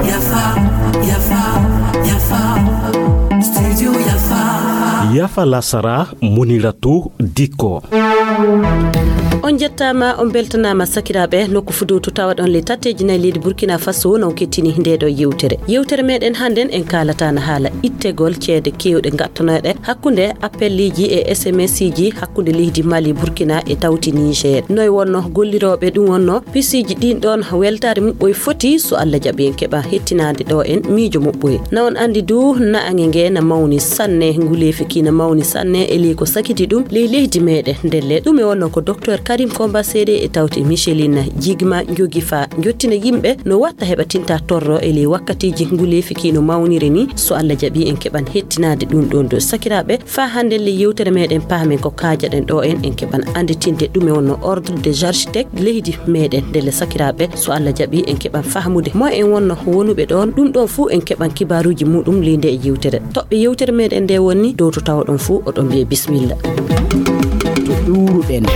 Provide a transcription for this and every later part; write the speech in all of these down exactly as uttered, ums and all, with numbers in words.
Yafa, yafa, yafa. Studio Yafa. Yafa lasara, Muniratu Diko. On jettaama, on beltanaama sakiraaɓe. Nokku fuduutu tawaɗon le tatteeji nayi leydi Burkina Faso, non kettini nde ɗo yewtere. Yewtere meɗen hannden en kaalata na haala ittegol ceede keewɗe gattanooɗe hakkunde appelleeji e S M S ji hakkunde leydi Mali, Burkina e tawti Niger. Noy wonno gollirooɓe ɗum wonno pisiiji ɗin ɗon weltaare muɓɓoy foti, so Allah jaɓi en keɓa hettinaade ɗo en miijo muɓɓoy. Na on anndi du, na'ange nge na mawni sanne, nguleefi ki na mawni sanne, e ley ko sakiti ɗum ley leydi meɗen. Ndelle ɗum e wonno ko Docteur Karim Komba Seede e tawti Micheline Jigma njogi fa njottina yimɓe no watta heɓa tinta torro e ley wakkatiiji nguleefi ki no mawniri ni. So Allah jaɓi en keɓan hettinaade ɗum ɗon do sakiraaɓe. Faa hannde le yewtere meɗen paamen ko kaajaɗen ɗo en, en keɓan annditinde ɗum e wonno ordre des architectes leydi meɗen. Ndelle sakiraaɓe, so Allah jaɓi en keɓan fahmude mo en wonno wonuɓe ɗon. Ɗum ɗon fuu en keɓan kibaaruuji muɗum ley nde e yewtere. Toɓɓe yewtere meɗen nde woni dow to tawoɗon fuu oɗon mbiye bismilla. To ɗuuruɗen.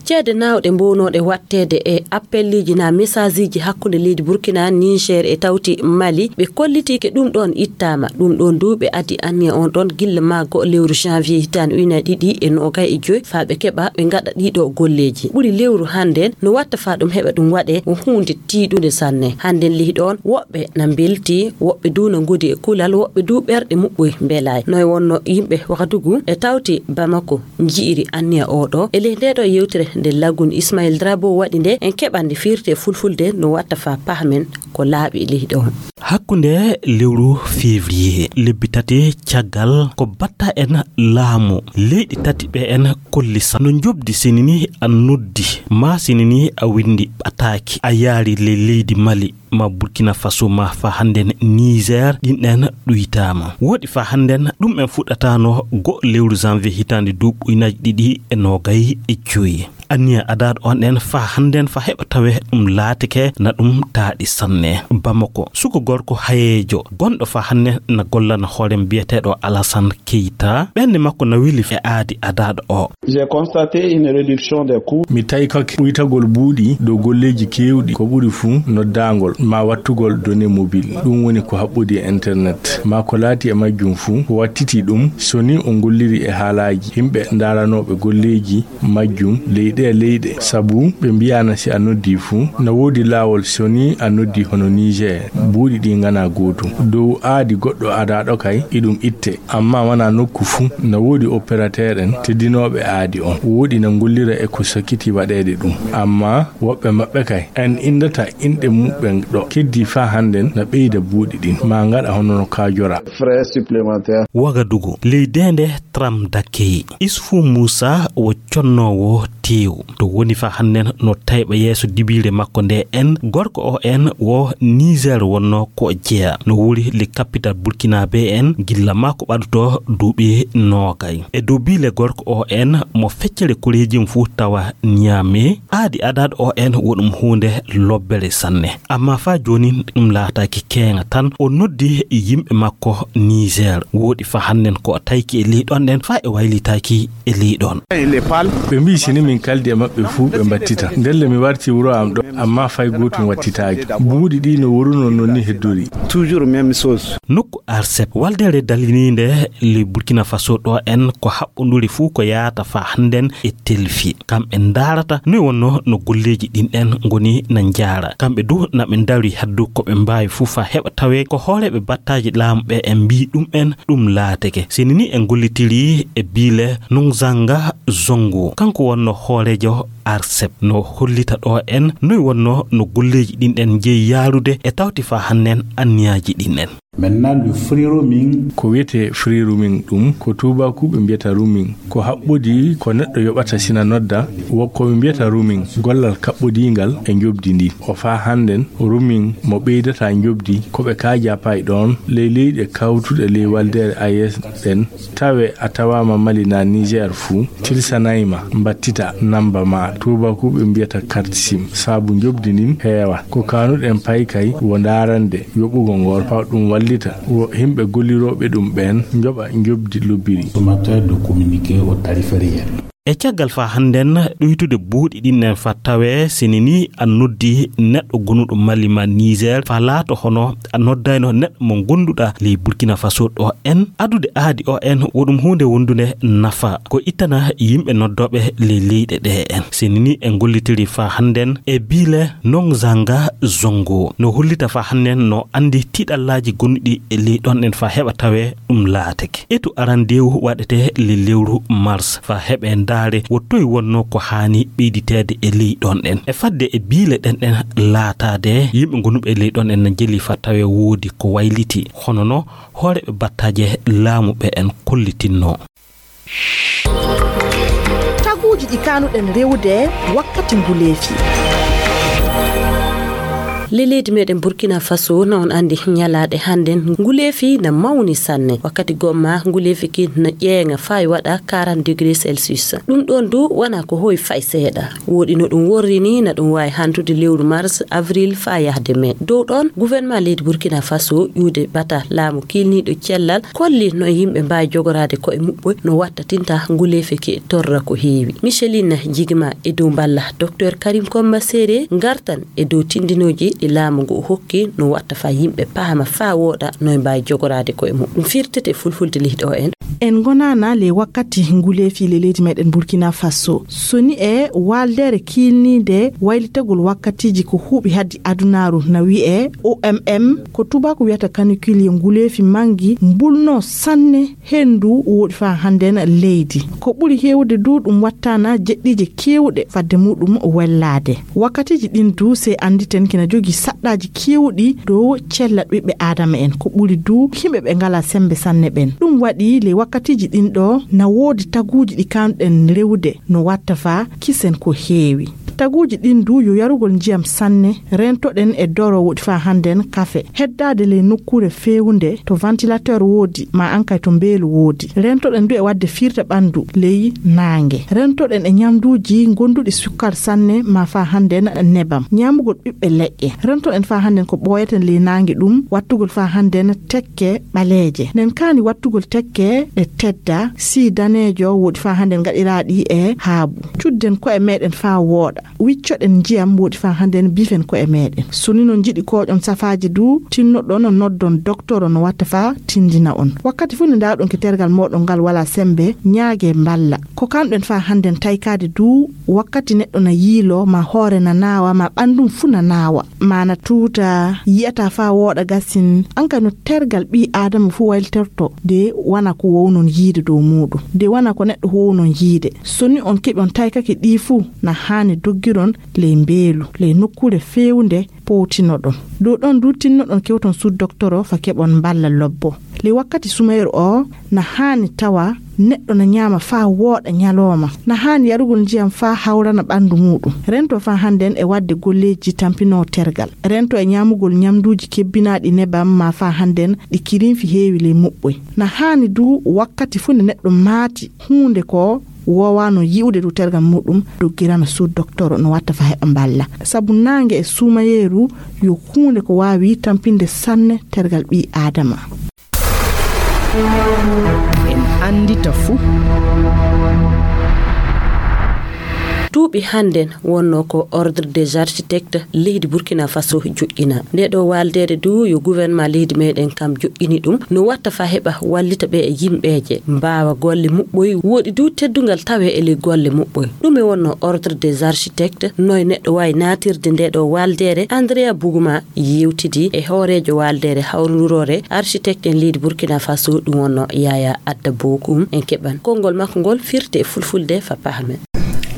Ceede naawɗe mbownooɗe watteede e appelleeji na message ji hakkunde leydi Burkina, Niger e tawti Mali, ɓe kolliti ke ɗum ɗon ittaama. Ɗum ɗon du ɓe addi anniya on ɗon gilla maago lewru janvier hitaande ujunere ɗiɗi e noogay e joy faa ɓe keɓa ɓe ngaɗa ɗiɗo golleeji. Ɓuri lewru hannden no watta faa ɗum heɓa ɗum waɗe o huunde tiiɗunde sanne. Hannden lihi ɗon woɓɓe na mbelti, woɓɓe du na ngodi e kulal, woɓɓe du ɓerɗe muɓɓoy mbelaay. Noy wonno yimɓe Wagadugu e tawti Bamako nji'iri anniya oɗo. E ley nde ɗo yewtere nde Lagun Ismail Drabo waɗi nde, en keɓan nde firte fulfulde no watta faa pahmen ko laaɓi e leydi on. Hakkunde lewru février, lebbi tati caggal ko batta en laamu, leyɗi tati ɓe en kolli sa no njobdi sinini a noddi, ma sinini a windi ɓataaki, a yaari le leydi Mali, ma Burkina Faso, ma fa hannden Niger, ɗin ɗen ɗuytaama. Woɗi fa hannden ɗum en fuɗɗataano go lewru janvier hitaande duuɓi ujunaaji ɗiɗi e noogay e joyi. Anniya adaad on ɗen fa hannden fa heɓa tawe ɗum laatike na ɗum taaɗi sanne. Bamako, suko gorko hayeejo gonɗo fa hannden na gollana hoore mbiyeteeɗo Alassane Keita. Ɓernde makko na weli e aadi adaad o. J'ai constaté une réduction des coûts. Mi taykake ɓuytagol buuɗi dow golleeji keewɗi, ko ɓuri fuu noddaangol ma wattugol données mobile, ɗum woni ko haɓɓodi e internet, ma ko laati e majjum fuu, ko wattiti ɗum, so ni on golliri e haalaaji yimɓe ndaaranooɓe golleeji majjum ley ɗee leyɗe, sabu ɓe mbiyaana si a noddii fuu, na woodi laawol so ni a noddii hono Niger, buuɗi ɗi nganaa gootum. Dow aadi goɗɗo adaaɗo kay, iɗum itte. Ammaa wanaa nokku fuu, na woodi opérateur en teddinooɓe aadi on. Woodi na ngollira e ko sakkiti waɗeede ɗum. Ammaa woɓɓe maɓɓe kay, en inndata inɗe muɓɓen ɗo. Keddii faa hannden na ɓeyda buuɗi ɗin, maa ngaɗa hono no kaajora. Frais supplémentaires. Wagadugu, ley deende Tram Dakkeyi. Isfu Muusa wo connoowo teewu. To woni fa hannden no tayɓa yeeso dibiire makko nde en, gorko o en wo Niger wonno ko jeya. No wuri le capital Burkina be en gilla makko ɓaɗuto duuɓi noogay. E dow biile gorko o en mo feccere koreejum fuu tawa Niamey, aadi adaad o en wo ɗum huunde lobbere sanne. Ammaa faa joonin ɗum laataaki keeŋa tan, o noddi yimɓe makko Niger. Wooɗi fa hannden ko o tayki e ley ɗon ɗen faa e waylitaaki e ley ɗon. Ɓe mbii si ni min kaldi e maɓɓe fuu ɓe mbattita. Ndelle mi warti wuro am ɗo, ammaa fay gootum wattitaaki. Buuɗi ɗi no worunoo non ni heddori. Toujours même chose. Nokku ARCEP, waldeere daliniinde ley Burkina Faso ɗo en ko haɓɓonduri fuu ko yaata fa hannden e telfi. Kamɓe ndaarata noy wonno no golleeji ɗin ɗen ngoni na njaara. Kamɓe du na ɓe ndaari haddu ko ɓe mbaawi fuu fa heɓa tawe ko hooreeɓe battaaji laamu ɓe en mbii ɗum en ɗum laatake. Seni ni en gollitiri e biile Nungzanga Zongo. Kanko wonno hooreejo ARCEP no hollita ɗo en noy wonno no golleeji ɗin ɗen njeyi yaarude e tawti fa hannden anniyaaji ɗin ɗen. Maintenant, le free roaming. Ko wiyetee free roaming ɗum, ko tuubaakuuɓe mbiyata roaming. Ko haɓɓodi ko neɗɗo yoɓata sina nodda, wo ko ɓe mbiyata roaming, gollal kaɓɓodiingal e njoɓdi ndin. O faa hannden, roaming mo ɓeydata njoɓdi, ko ɓe kaajaa pay ɗoon, ley leyɗe kawtuɗe ley waldeere AES ɗen, tawe a tawaama Mali naa Niger fuu, tilsanay ma, mbattita namba maa, tuubaakuuɓe mbiyata carte sim, saabu njoɓdi ndin heewa. Ko kaanuɗen pay kay wo ndaarande yoɓugol ngol, faa ɗum wallita wo yimɓe gollirooɓe ɗum ɓeen njoɓa njoɓdi lobbiri. Consommateur de communiquer au tarif réel. E caggal faa hannden ɗuytude buuɗi ɗin en faa tawee sini nii a noddi neɗɗo gonuɗo Mali maa Niger faa laato hono a noddayno neɗɗo mo gonduɗaa ley Burkina Faso ɗo en, adude aadi o en wo ɗum huunde wondunde nafa ko ittana yimɓe noddooɓe ley leyɗe ɗe en. Sini nii en gollitiri faa hannden e Bile Nongzanga Zongo no hollita faa hannden no anndi tiiɗallaaji gonɗi e ley ɗon en faa heɓa tawee ɗum laatake. Etu arandeewu waɗete le lewru mars faa heɓe ndaare wo toy wonno ko haani ɓeyditeede e ley ɗon en. E fadde e biile ɗen ɗen laataade, yimɓe gonuɓe e ley ɗon en na jeli faa tawe woodi ko wayliti. Hono no hooreɓe battaaje laamu ɓe en kollitinno. Taguuji ɗi kaanuɗen rewude wakkati nguleefi. Le leydi meɗen Burkina Faso, na on andi ñalaaɗe hannden nguleefi na mawni sanne. Wakkati gomma nguleefi ki na ƴeeŋa faa waɗa quarante degrés Celsius. Ɗum ɗon du wana ko hoy fay seeɗa. Woɗi no ɗum worri ni na ɗum waawi hantude lewru mars, avril faa yahde mai. Dow ɗon, gouvernement leydi Burkina Faso ƴuude bata laamu kiilniiɗo cellal kolli no yimɓe mbaawi jogoraade ko'e muɓɓoy no watta tinta nguleefi ki torra ko heewi. Micheline Jigma e dow mballa Docteur Karim Komba Sere ngartan e dow tindinooji ɗi laamu ngu hokki no watta faa yimɓe paama faa wooɗa no e mbaawi jogoraade ko'e muɓɓoy. Ɗum firtete fulfulde leydi o en. En ngonaana le wakkati nguleefi le leydi meɗen Burkina Faso. So ni e waaldeere kiilniinde waylitagol wakkatiiji ko huuɓi haddi adunaaru na wi'e O M M, ko tubaaku wiyata canicule, yo nguleefi mangi mbulno sanne henndu woɗi faa hannden leydi. Ko ɓuri heewude du ɗum wattaana jeɗɗiije keewuɗe fadde muɗum wellaade. Wakkatiiji ɗin du, sey annditen kina jogii saɗɗaaji keewuɗi dow cella ɓiɓɓe aadama en. Ko ɓuri du yimɓe ɓe ngalaa semmbe sanne ɓen. Ɗum waɗi ley wakkatiiji ɗin ɗo na woodi taguuji ɗi kaanɗen rewude no watta faa kisen ko heewi. Taguuji ɗin du yo yarugol njiyam sanne, rentoɗen e doro woɗi faa hannden kafe, heddaade ley nokkuure feewunde to ventilateur woodi, maa ankay to mbeelu woodi. Rentoɗen du e waɗde firta ɓanndu ley naange. Rentoɗen e ñamduuji gonduɗi sukkar sanne, maa faa hannden nebam. Ñaamugol ɓiɓɓe leƴƴe. Rentoɗen faa hannden ko ɓooyaten ley naange ɗum, wattugol faa hannden tekke ɓaleeje. Nen kaani wattugol tekke ɗe tedda, sii daneejo woɗi faa hannden gaɗiraaɗi e haabu. Cudden ko'e meɗen faa wooɗa. Wiccoɗen njiyam woɗi faa hannden bifen ko'e meɗen. So ni non njiɗi kooƴon safaaji du, tinnoɗon noddon doktoro no watta faa tindina on. Wakkati fuu nde ndaawɗon ke tergal mooɗon ngal walaa semmbe, ñaage mballa. Ko kanɗen faa hannden taykaade du, wakkati neɗɗo na yiiloo, maa hoore na naawa, maa ɓanndum fuu na naawa, maa na tuuta, yi'ataa faa wooɗa gasin, an kay no tergal ɓii aadama fuu wayliterto, de wana ko wownon yiide dow muuɗum, de wana ko neɗɗo wownon yiide. So ni on keɓi on taykake ɗii fuu, na haani doggiron ley mbeelu, ley nokkuure feewunde powtinoɗon. Dow ɗon du tinnoɗon kewton suudu doktoro faa keɓon mballa lobbo. Ley wakkati sumayru o, na haani tawa neɗɗo na ñaama faa wooɗa ñalooma. Na haani yarugol njiyam faa hawrana ɓanndu muuɗum. Rento faa hannden e waɗde golleeji tampinoo tergal. Rento e ñaamugol ñamduuji kebbinaaɗi nebam maa faa hannden ɗi kirinfi heewi ley muɓɓoy. Na haani du wakkati fuu nde neɗɗo maati huunde ko woowaano yi'ude dow tergal muuɗum, doggirana suudu doktoro no watta faa heɓa mballa. Sabu naange e suumayeeru yo huunde ko waawi tampinde sanne tergal ɓii aadama. En anndita fuu. Duuɓi hannden wonno ko Ordre des Architectes leydi Burkina Faso joƴƴina. Nde ɗo waaldeede du yo gouvernement leydi meɗen kam joƴƴini ɗum, no watta faa heɓa wallita ɓe e yimɓeeje, mbaawa golle muɓɓoy, woɗi du teddungal tawe e ley golle muɓɓoy. Ɗume wonno Ordre des Architectes? Noy neɗɗo waawi naatirde nde ɗo waaldeere? Andrea Buguma yewtidi e hooreejo waaldeere hawrondiroore architecte en leydi Burkina Faso, ɗum wonno Yaya Adda Bokum. En keɓan konngol makko ngol firte e fulfulde faa pahamen.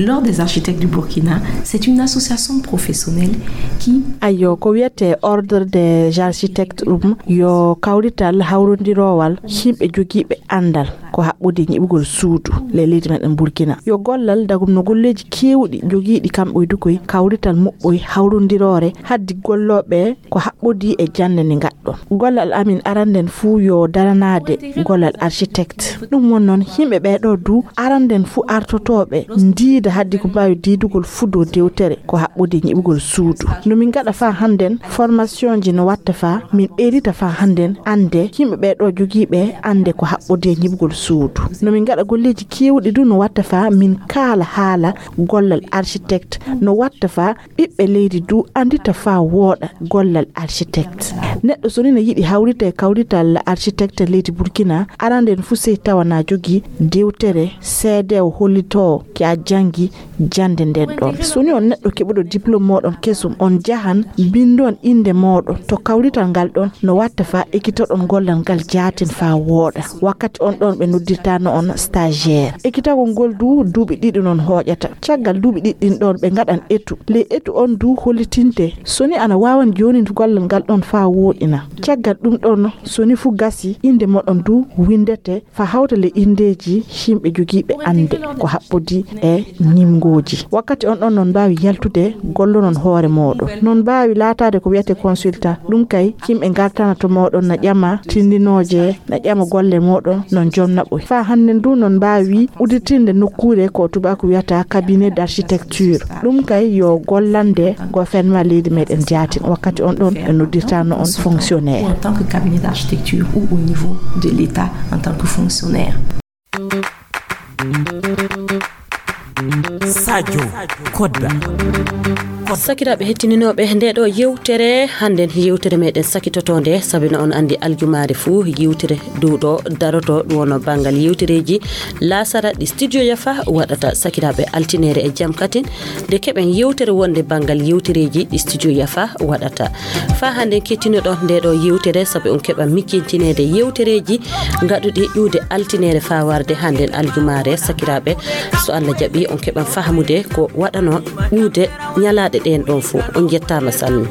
L'Ordre des Architectes du Burkina, c'est une association professionnelle qui... Ayyo, ko wiyetee Ordre des Architectes ɗum yo kawrital hawrondiroowal yimɓe jogiiɓe anndal ko haɓɓude ñiɓugol suudu ley leydi meɗen Burkina. Yo gollal dagum no golleeji keewɗi jogiiɗi kamɓe e dukoy kawrital muɓɓoy hawrondiroore haddi gollooɓe ko haɓɓodii e jannde nde ngaɗɗon. Gollal amin aranden fuu yo daranaade gollal architecte. Ɗum won noon, yimɓe ɓee ɗoo du aranden fuu artotooɓe ndiida haddi ko mbaawi diidugol fuu dow dewtere ko haɓɓodii ñiɓugol suudu. No min ngaɗa faa hannden formationji no watta faa min ɓeydita faa hannden annde yimɓe ɓee ɗoo jogiiɓe annde ko haɓɓodii e ñiɓugol suudu. No min ngaɗa golleeji keewɗi du no watta faa min kaala haala gollal architecte, no watta faa ɓiɓɓe leydi du anndita faa wooɗa gollal architecte. Neɗɗo so ni no yiɗi hawrita e kawrital architecte leydi Burkina, arande en fuu sey tawa na jogii dewtere seedewo hollitoowo ki a janngi jannde nden ɗon. So ni on neɗɗo keɓuɗo diplôme mooɗon kesum, on njahan mbinndon innde mooɗon to kawrital ngal ɗon, no watta faa ekitoɗon gollal ngal jaatin faa wooɗa. Wakkati on ɗon ɓe noddirtaano on stagiaire. Ekitagol ngol du duuɓi ɗiɗi non hooƴata. Caggal duuɓi ɗiɗi ɗin ɗon ɓe ngaɗan etu. Ley etu on du hollitinte so ni ana waawan joonin gollal ngal ɗon faa wooɗina. Caggal ɗum ɗon so ni fuu gasi, innde mooɗon du winndete faa hawta ley inndeeji yimɓe jogiiɓe annde ko haɓɓodii e ñimngooji. Wakkati on ɗon non mbaawi yaltude gollonon hoore mooɗon. Non mbaawi laataade ko wiyetee consultant. Ɗum kay, yimɓe ngartana to mooɗon na ƴama tindinooje, na ƴama golle mooɗon, non jom naɓoy. Faa hannden du non mbaawi udditinde nokkuure ko tubaaku wiyata cabinet d'architecture. Ɗum kay yo gollande gouvernement leydi meɗen jaatin. Wakkati on ɗon ɓe noddirtaano on fonctionnaire. En tant que cabinet d'architecture ou au niveau de l'État en tant que fonctionnaire. Sadio Kodda. Sakiraaɓe hettininooɓe nde ɗo yewtere, hannden yewtere meɗen sakitotonde, sabi no on anndi aljumaare fuu yewtere dow ɗo daroto, ɗum wonno banngal yewtereeji laasara ɗi Studio Yafa waɗata. Sakiraaɓe, altineere e jam katin nde keɓen yewtere wonde banngal yewtereeji ɗi Studio Yafa waɗata. Faa hannden kettinoɗon nde ɗo yewtere, sabi on keɓa miccintineede yewtereeji ngaɗuɗi ƴuwde altineere faa warde hannden aljumaare. Sakiraaɓe, so Allah jaɓi, on keɓan fahamude ko waɗanoo ƴuwde ñalaaɗe ɗeen ɗon fuu. On njettaama sanne.